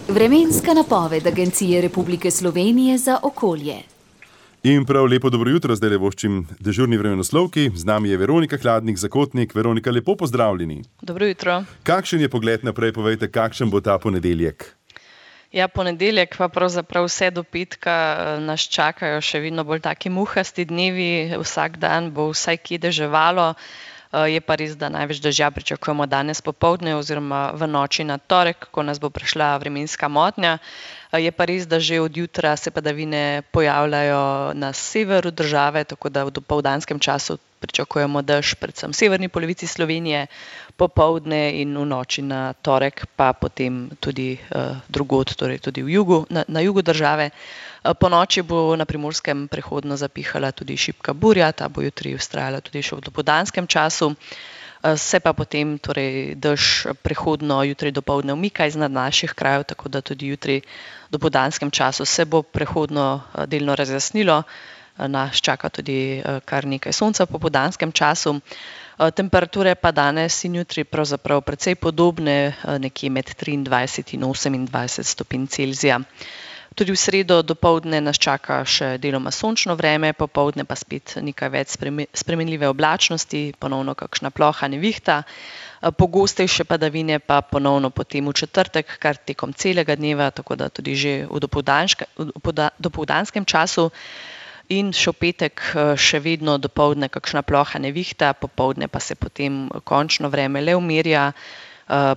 Vremenska napoved Agencije Republike Slovenije za okolje. In prav lepo dobro jutro, zdaj voščim dežurni vremenoslovki. Z nami je Veronika Hladnik, Zakotnik. Veronika, lepo pozdravljeni. Dobro jutro. Kakšen je pogled naprej, povejte, kakšen bo ta ponedeljek? Ja, ponedeljek pa pravzaprav vse do petka nas čakajo še vedno bolj taki muhasti dnevi. Vsak dan bo vsaj kje deževalo. Je pa res, da največ dežja pričakujemo danes popoldne oziroma v noči na torek, ko nas bo prišla vremenska motnja. Je pa res, da že od jutra se padavine pojavljajo na severu države, tako da v dopoldanskem času pričakujemo dež predvsem v severni polovici Slovenije, popoldne in v noči na torek, pa potem tudi drugod, torej tudi na jugu države. Po noči bo na Primorskem prehodno zapihala tudi šibka burja, ta bo jutri vztrajala tudi še v dopoldanskem času. Se pa potem torej dež prehodno jutri dopoldne umika iznad naših krajev, tako da tudi jutri v dopoldanskem času se bo prehodno delno razjasnilo. Nas čaka tudi kar nekaj sonca v popoldanskem času. Temperature pa danes in jutri pravzaprav precej podobne, nekje med 23 in 28 stopinj Celzija. Tudi v sredo dopoldne nas čaka še deloma sončno vreme, popoldne pa spet nekaj več spremenljive oblačnosti, ponovno kakšna ploha nevihta. Pogostejše padavine pa ponovno potem v četrtek, kar tekom celega dneva, tako da tudi že v dopoldanskem času. In še v petek še vedno dopoldne kakšna ploha nevihta, popoldne pa se potem končno vreme le umirja.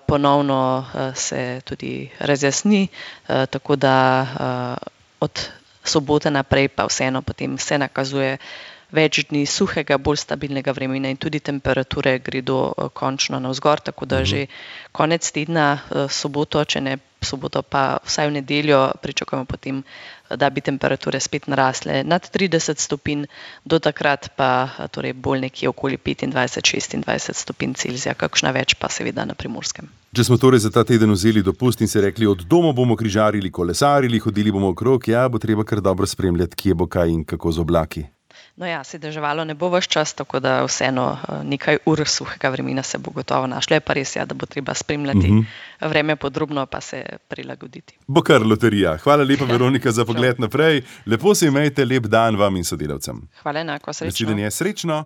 Ponovno se tudi razjasni, tako da od sobote naprej pa vseeno potem se nakazuje več dni suhega, bolj stabilnega vremena in tudi temperature gredo končno navzgor, tako da že konec tedna, soboto, če ne soboto pa vsaj v nedeljo pričakujemo potem, da bi temperature spet narasle nad 30 stopinj, do takrat pa torej bolj nekje okoli 25-26 stopinj Celzija, kakšna več pa seveda na Primorskem. Če smo torej za ta teden vzeli dopust in se rekli, od doma bomo križarili, kolesarili, hodili bomo okrog, ja, bo treba kar dobro spremljati, kje bo kaj in kako z oblaki. No ja, se deževalo ne bo ves čas, tako da vseeno nekaj ur suhega vremena se bo gotovo našlo. Je pa res, ja, da bo treba spremljati vreme podrobno pa se prilagoditi. Bo kar loterija. Hvala lepa, Veronika, za pogled naprej. Lepo se imejte, lep dan vam in sodelavcem. Hvala enako, srečno. Nasvidenje, srečno.